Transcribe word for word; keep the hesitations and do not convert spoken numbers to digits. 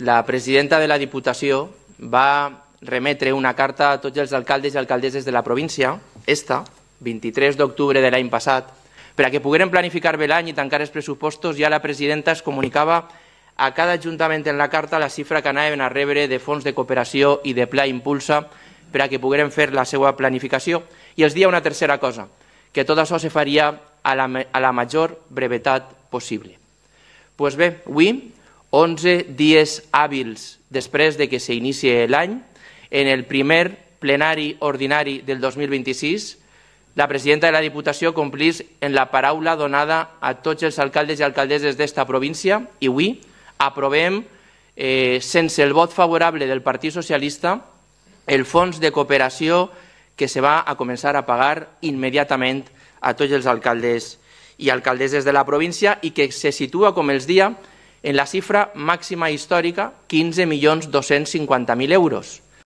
la presidenta de la Diputació va remetre una carta a tots els alcaldes i alcaldesses de la província, esta, vint-i-tres d'octubre de l'any passat, per a que pogueren planificar bé l'any i tancar els pressupostos. Ja la presidenta es comunicava a cada ajuntament en la carta la xifra que anaven a rebre de fons de cooperació i de Pla Impulsa per a que pogueren fer la seva planificació. I els dia una tercera cosa, que tot això se faria a la, a la major brevetat possible. Pues bé, avui, onze dies hàbils després de que s'inici l'any, en el primer plenari ordinari del dos mil vint-i-sis, la presidenta de la Diputació complís en la paraula donada a tots els alcaldes i alcaldesses d'esta província i avui aprovem, eh, sense el vot favorable del Partit Socialista, el fons de cooperació que se va a començar a pagar immediatament a tots els alcaldes i alcaldesses de la província i que se situa, com els dia, en la xifra màxima històrica, quinze milions dos-cents cinquanta mil euros.